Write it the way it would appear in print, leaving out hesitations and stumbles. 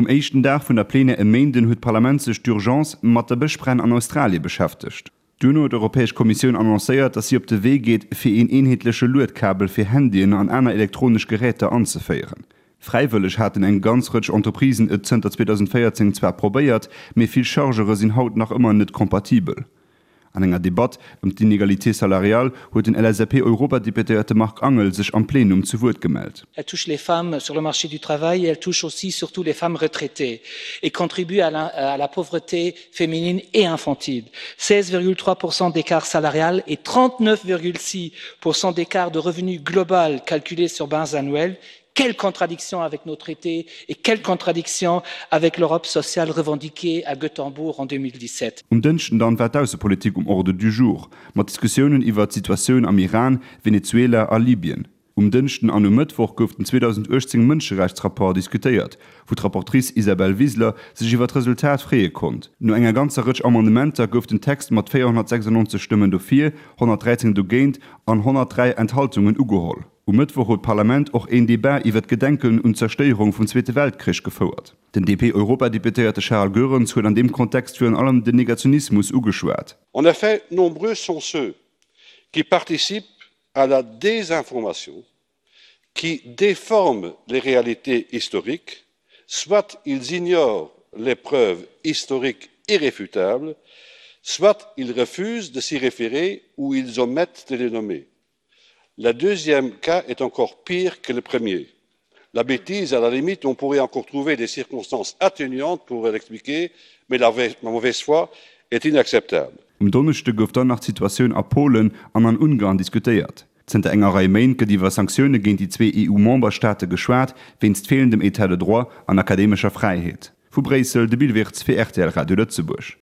Um éischten Dag vun der Plenière e Méinden huet d'Parlament sech d'urgence mat de Bëschbränn an Australie beschäftegt. Duerno huet d'Europäesch Kommissioun annoncéiert, datt si op de Wee geet, fir een eenheetleche Luedkabel fir Handyen an aner elektronesch Geräter anzeféieren. Fräiwëlleg haten eng ganz Rëtsch Entreprisen et zënter 2014 zwar probéiert, mee vill Chargere sinn haut nach ëmmer net kompatibel. An enger Debatt ëm d'Inégalité salariale huet den LSAP-Europadeputéierte Marc Angel sech am Plenum zu Wuert gemellt. Elle touche les femmes sur le marché du travail et elle touche aussi surtout les femmes retraitées et contribue à la, à la pauvreté féminine et infantile. 16,3 d'écart salarial et 39,6 d'écart de revenu global calculé sur base annuelle Quelle contradiction avec nos traités et quelle contradiction avec l'Europe sociale revendiquée à Göteborg en 2017. Um Dënschden dann war d'Aussepolitik um Ordre du jour, mat Diskussiounen iwwert d'Situatioun am Iran, Venezuela a Libyen. Um Dënschden an um Mëttwoch gouf den 2018 Mënscherechtsrapport diskutéiert, wou d'Rapportrice Isabel Wiseler sech iwwer d'Resultat freeë konnt. No enger ganzer Rëtsch Amendementer gouf den Text mat 496 Stëmmen dofir, 113 dogéint an 103 Enthaltungen ugeholl. Um Mëttwoch huet d'Parlament och een Debat iwwer d'Gedenken un d'Zerstéierung vum Zweete Weltkrich gefouert. Den DP-Europadeputéierte Charles Goerens huet an deem Kontext virun allem den Negationismus ugeschwat. En effet, nombreux sont ceux qui participent à la désinformation, qui déforment les réalités historiques, soit ils ignorent les preuves historiques irréfutables, soit ils refusent de s'y référer ou ils omettent de les nommer. Le deuxième cas est encore pire que le premier. La bêtise, à la limite, on pourrait encore trouver des circonstances atténuantes pour l'expliquer, mais la mauvaise foi est inacceptable. Um Donneschde gouf dann nach d'Situatioun a Polen an an Ungarn diskutéiert. Zënter enger Rei Méint gëtt iwwer Sanktioune géint déi zwee EU-Memberstaate geschwat, wéinst feelendem Etat de droit an akademescher Fräiheet. Vu Bréissel, de Bill Wirtz fir rtl Radio Lëtzebuerg.